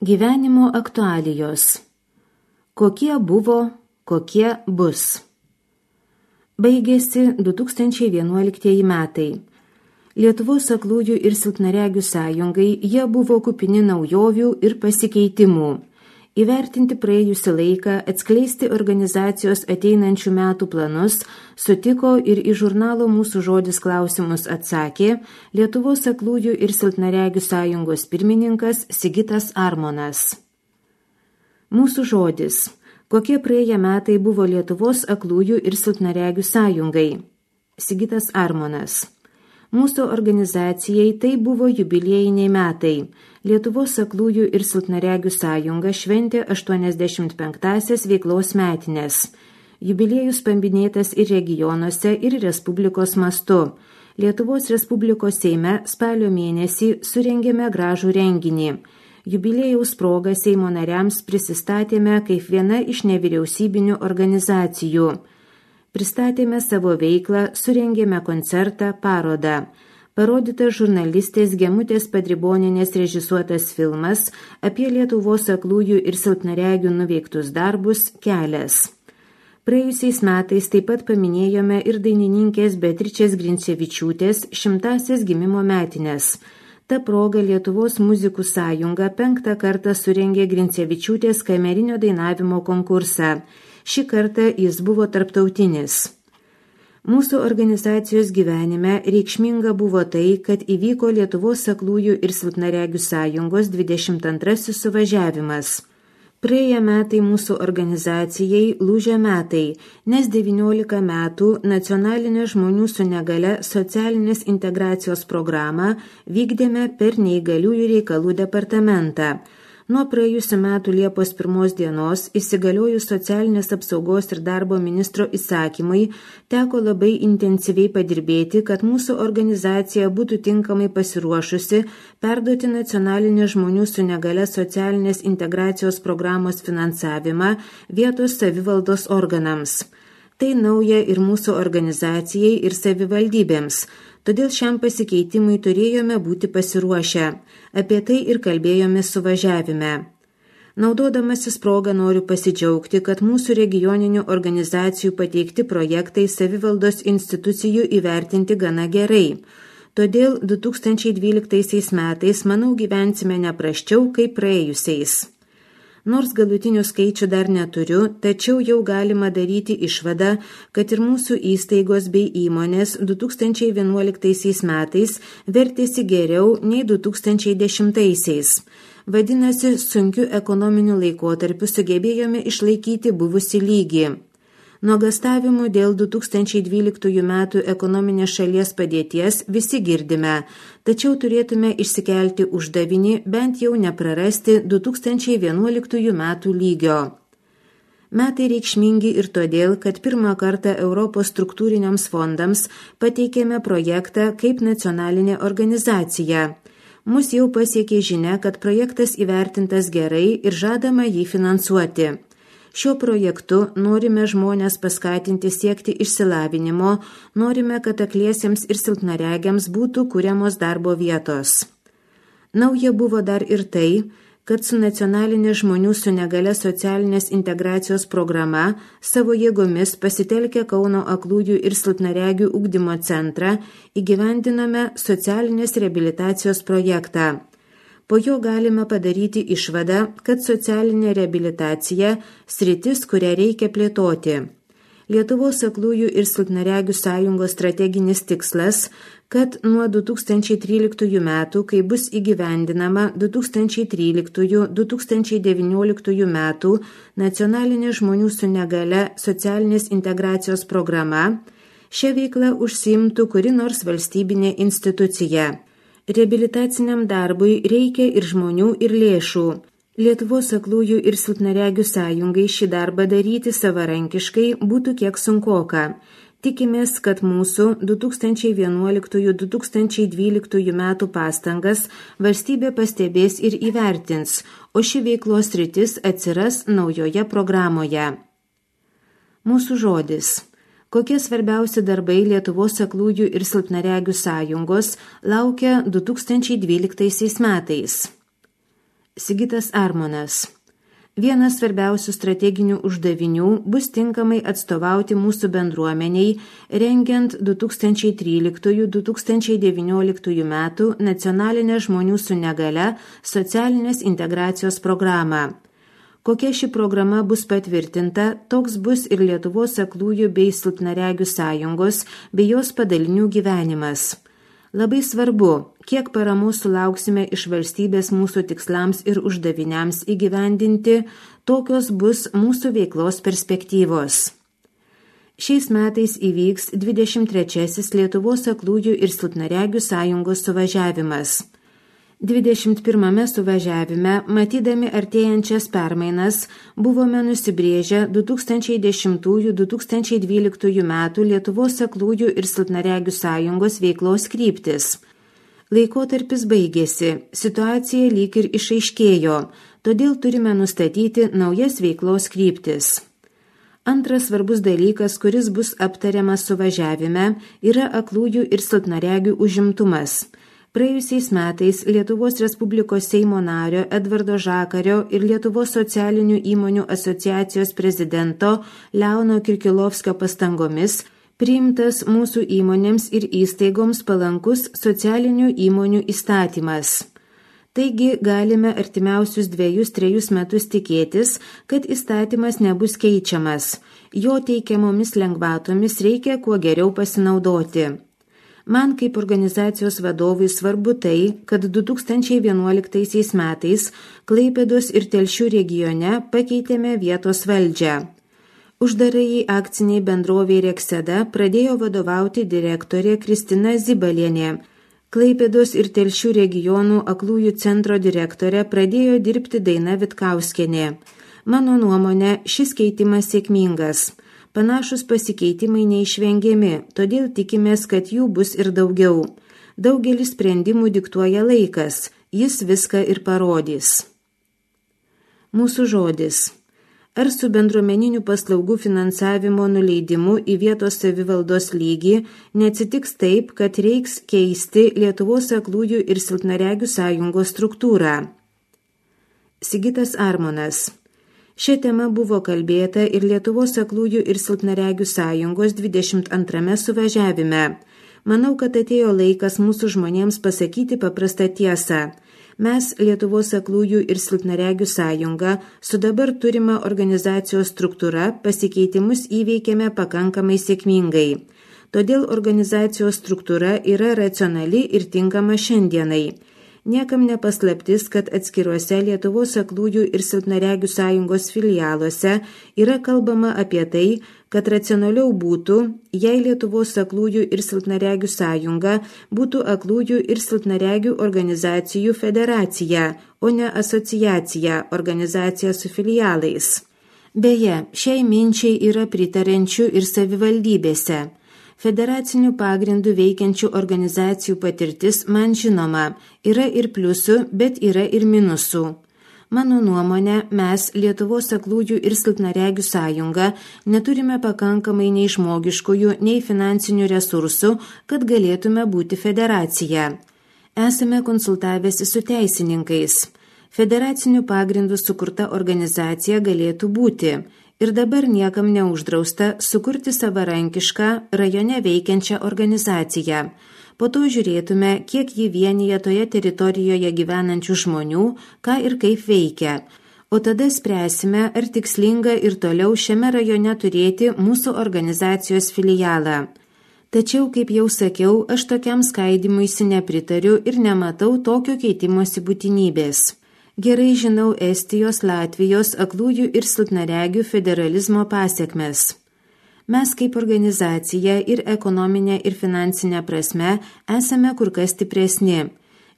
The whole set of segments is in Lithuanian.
Gyvenimo aktualijos. Kokie buvo, kokie bus. Baigėsi 2011 metai. Lietuvos aklųjų ir silpnaregių sąjungai jie buvo kupini naujovių ir pasikeitimų. Įvertinti praėjusį laiką, atskleisti organizacijos ateinančių metų planus, sutiko ir į žurnalo Mūsų žodis klausimus atsakė Lietuvos aklųjų ir silpnaregių sąjungos pirmininkas Sigitas Armonas. Mūsų žodis. Kokie praėję metai buvo Lietuvos aklųjų ir silpnaregių sąjungai? Sigitas Armonas. Mūsų organizacijai tai buvo jubiliejiniai metai. Lietuvos aklųjų ir silpnaregių sąjunga šventė 85-asias veiklos metines. Jubiliejus paminėtas ir regionuose, ir Respublikos mastu. Lietuvos Respublikos Seime spalio mėnesį surengėme gražų renginį. Jubiliejaus proga Seimo nariams prisistatėme kaip viena iš nevyriausybinių organizacijų. Pristatėme savo veiklą, surengėme koncertą, parodą. Parodytas žurnalistės Gemutės Padribonienės režisuotas filmas apie Lietuvos aklųjų ir silpnaregių nuveiktus darbus Kelias. Praėjusiais metais taip pat paminėjome ir dainininkės Beatričės Grincevičiūtės 100-asias gimimo metines. Ta proga Lietuvos muzikų sąjunga 5. kartą surengė Grincevičiūtės kamerinio dainavimo konkursą. Šį kartą jis buvo tarptautinis. Mūsų organizacijos gyvenime reikšminga buvo tai, kad įvyko Lietuvos aklųjų ir silpnaregių sąjungos 22 suvažiavimas. Praėję metai mūsų organizacijai lūžio metai, nes 19 metų nacionalinę žmonių su negale socialinės integracijos programą vykdėme per neįgaliųjų reikalų departamentą. Nuo praėjusių metų Liepos 1 dienos įsigaliojus socialinės apsaugos ir darbo ministro įsakymui teko labai intensyviai padirbėti, kad mūsų organizacija būtų tinkamai pasiruošusi perduoti nacionalinės žmonių su negale socialinės integracijos programos finansavimą vietos savivaldos organams. Tai nauja ir mūsų organizacijai ir savivaldybėms. Todėl šiam pasikeitimui turėjome būti pasiruošę. Apie tai ir kalbėjome suvažiavime. Naudodamasis progą noriu pasidžiaugti, kad mūsų regioninių organizacijų pateikti projektai savivaldos institucijų įvertinti gana gerai. Todėl 2012 metais, manau, gyvensime neprasčiau kaip praėjusiais. Nors galutinių skaičių dar neturiu, tačiau jau galima daryti išvadą, kad ir mūsų įstaigos bei įmonės 2011 metais vertėsi geriau nei 2010. Vadinasi, sunkiu ekonominiu laikotarpiu sugebėjome išlaikyti buvusį lygį. Nuogastavimų dėl 2012 metų ekonominės šalies padėties visi girdime, tačiau turėtume išsikelti uždavinį bent jau neprarasti 2011 metų lygio. Metai reikšmingi ir todėl, kad pirmą kartą Europos struktūriniams fondams pateikėme projektą kaip nacionalinė organizacija. Mus jau pasiekė žinia, kad projektas įvertintas gerai ir žadama jį finansuoti. Šiuo projektu norime žmonės paskatinti siekti išsilavinimo, norime, kad akliesiems ir silpnaregiams būtų kuriamos darbo vietos. Nauja buvo dar ir tai, kad su nacionalinė žmonių su negale socialinės integracijos programa savo jėgomis pasitelkę Kauno aklųjų ir silpnaregių ugdymo centrą įgyvendinome socialinės reabilitacijos projektą. Po jo galime padaryti išvadą, kad socialinė reabilitacija sritis, kurią reikia plėtoti. Lietuvos aklųjų ir silpnaregių sąjungos strateginis tikslas, kad nuo 2013 metų, kai bus įgyvendinama 2013-2019 metų nacionalinė žmonių su negale socialinės integracijos programa, šią veiklą užsiimtų kuri nors valstybinė institucija. Reabilitaciniam darbui reikia ir žmonių, ir lėšų. Lietuvos aklųjų ir silpnaregių sąjungai šį darbą daryti savarankiškai būtų kiek sunkoka. Tikimės, kad mūsų 2011-2012 metų pastangas valstybė pastebės ir įvertins, o ši veiklos sritis atsiras naujoje programoje. Mūsų žodis. Kokie svarbiausi darbai Lietuvos aklųjų ir silpnaregių sąjungos laukia 2012 metais? Sigitas Armonas. Vienas svarbiausių strateginių uždavinių bus tinkamai atstovauti mūsų bendruomeniai, rengiant 2013-2019 metų nacionalinę žmonių su negale socialinės integracijos programą. Kokia ši programa bus patvirtinta, toks bus ir Lietuvos aklųjų bei silpnaregių sąjungos bei jos padalinių gyvenimas. Labai svarbu, kiek paramos sulauksime iš valstybės mūsų tikslams ir uždaviniams įgyvendinti, tokios bus mūsų veiklos perspektyvos. Šiais metais įvyks 23. Lietuvos aklųjų ir silpnaregių sąjungos suvažiavimas. 21 suvažiavime, matydami artėjančias permainas, buvome nusibrėžę 2010-2012 metų Lietuvos aklųjų ir silpnaregių sąjungos veiklos kryptis. Laikotarpis baigėsi, situacija lyg ir išaiškėjo, todėl turime nustatyti naujas veiklos kryptis. Antras svarbus dalykas, kuris bus aptariamas suvažiavime, yra aklųjų ir silpnaregių užimtumas. Praėjusiais metais Lietuvos Respublikos Seimo nario Edvardo Žakario ir Lietuvos socialinių įmonių asociacijos prezidento Leono Kirkilovskio pastangomis priimtas mūsų įmonėms ir įstaigoms palankus socialinių įmonių įstatymas. Taigi galime artimiausius 2-3 metus tikėtis, kad įstatymas nebus keičiamas. Jo teikiamomis lengvatomis reikia kuo geriau pasinaudoti. Man kaip organizacijos vadovui svarbu tai, kad 2011 metais Klaipėdos ir Telšių regione pakeitėme vietos valdžią. Uždarajai akciniai bendrovei Rekseda pradėjo vadovauti direktorė Kristina Zibalienė. Klaipėdos ir Telšių regionų aklųjų centro direktorė pradėjo dirbti Daina Vitkauskienė. Mano nuomone, šis keitimas sėkmingas. Panašus pasikeitimai neišvengiami, todėl tikimės, kad jų bus ir daugiau. Daugelis sprendimų diktuoja laikas, jis viską ir parodys. Mūsų žodis. Ar su bendruomeninių paslaugų finansavimo nuleidimu į vietos savivaldos lygį neatsitiks taip, kad reiks keisti Lietuvos aklųjų ir silpnaregių sąjungos struktūrą? Sigitas Armonas. Šia tema buvo kalbėta ir Lietuvos aklųjų ir silpnaregių sąjungos 22 suvažiavime. Manau, kad atėjo laikas mūsų žmonėms pasakyti paprastą tiesą. Mes, Lietuvos aklųjų ir silpnaregių sąjunga, su dabar turima organizacijos struktūra pasikeitimus įveikėme pakankamai sėkmingai. Todėl organizacijos struktūra yra racionali ir tinkama šiandienai. Niekam nepaslaptis, kad atskiruose Lietuvos aklųjų ir silpnaregių sąjungos filialuose yra kalbama apie tai, kad racionaliau būtų, jei Lietuvos aklųjų ir silpnaregių sąjunga būtų aklųjų ir silpnaregių organizacijų federacija, o ne asociacija, organizacija su filialais. Beje, šiai minčiai yra pritarančių ir savivaldybėse. Federacinių pagrindų veikiančių organizacijų patirtis man žinoma, yra ir pliusų, bet yra ir minusų. Mano nuomonė, mes, Lietuvos aklųjų ir silpnaregių sąjunga, neturime pakankamai nei žmogiškųjų, nei finansinių resursų, kad galėtume būti federacija. Esame konsultavęsi su teisininkais. Federacinių pagrindų sukurta organizacija galėtų būti. Ir dabar niekam neuždrausta sukurti savarankišką rajone veikiančią organizaciją. Po to žiūrėtume, kiek ji vienyje toje teritorijoje gyvenančių žmonių, ką ir kaip veikia. O tada spręsime, ar tikslinga ir toliau šiame rajone turėti mūsų organizacijos filialą. Tačiau, kaip jau sakiau, aš tokiam skaidymuisi nepritariu ir nematau tokio keitimosi būtinybės. Gerai žinau Estijos, Latvijos aklųjų ir silpnaregių federalizmo pasiekmes. Mes kaip organizacija ir ekonominė ir finansinė prasme esame kur kas stipresni.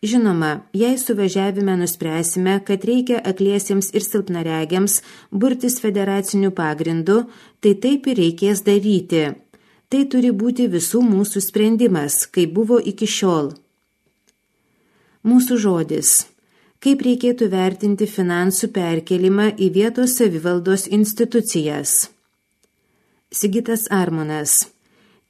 Žinoma, jei suvažiavime nuspręsime, kad reikia akliesiems ir silpnaregiams burtis federacinių pagrindų, tai taip ir reikės daryti. Tai turi būti visų mūsų sprendimas, kaip buvo iki šiol. Mūsų žodis. Kaip reikėtų vertinti finansų perkelimą į vietos savivaldos institucijas? Sigitas Armonas.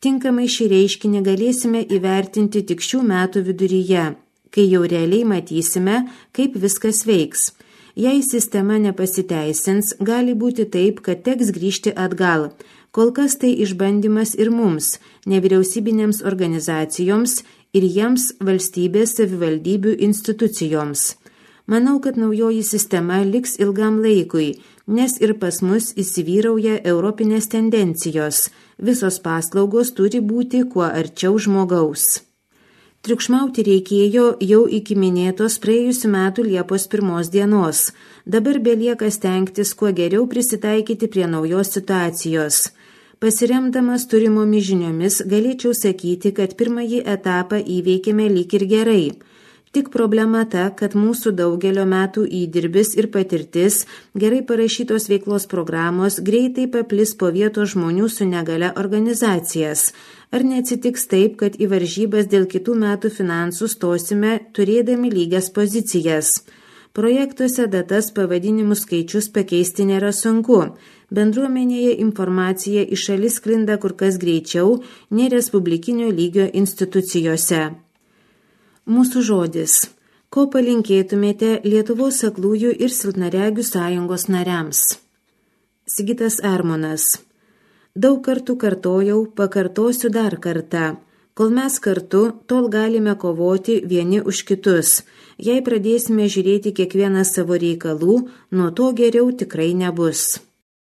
Tinkamai šį reiškinį galėsime įvertinti tik šių metų viduryje, kai jau realiai matysime, kaip viskas veiks. Jei sistema nepasiteisins, gali būti taip, kad teks grįžti atgal. Kol kas tai išbandymas ir mums, nevyriausybinėms organizacijoms ir jiems valstybės savivaldybių institucijoms. Manau, kad naujoji sistema liks ilgam laikui, nes ir pas mus įsivyrauja europinės tendencijos. Visos paslaugos turi būti kuo arčiau žmogaus. Triukšmauti reikėjo jau iki minėtos praėjusių metų Liepos 1 dienos. Dabar belieka stengtis kuo geriau prisitaikyti prie naujos situacijos. Pasiremdamas turimomis žiniomis, galėčiau sakyti, kad pirmąjį etapą įveikėme lyg ir gerai. Tik problema ta, kad mūsų daugelio metų įdirbis ir patirtis, gerai parašytos veiklos programos greitai paplis po vietos žmonių su negale organizacijas. Ar neatsitiks taip, kad į varžybas dėl kitų metų finansų stosime turėdami lygias pozicijas? Projektuose datas, pavadinimų skaičius pakeisti nėra sunku. Bendruomenėje informacija iš šalis sklinda kur kas greičiau nei respublikinio lygio institucijose. Mūsų žodis. Ko palinkėtumėte Lietuvos aklųjų ir silpnaregių sąjungos nariams? Sigitas Armonas. Daug kartų kartojau, pakartosiu dar kartą. Kol mes kartu, tol galime kovoti vieni už kitus. Jei pradėsime žiūrėti kiekvieną savo reikalų, nuo to geriau tikrai nebus.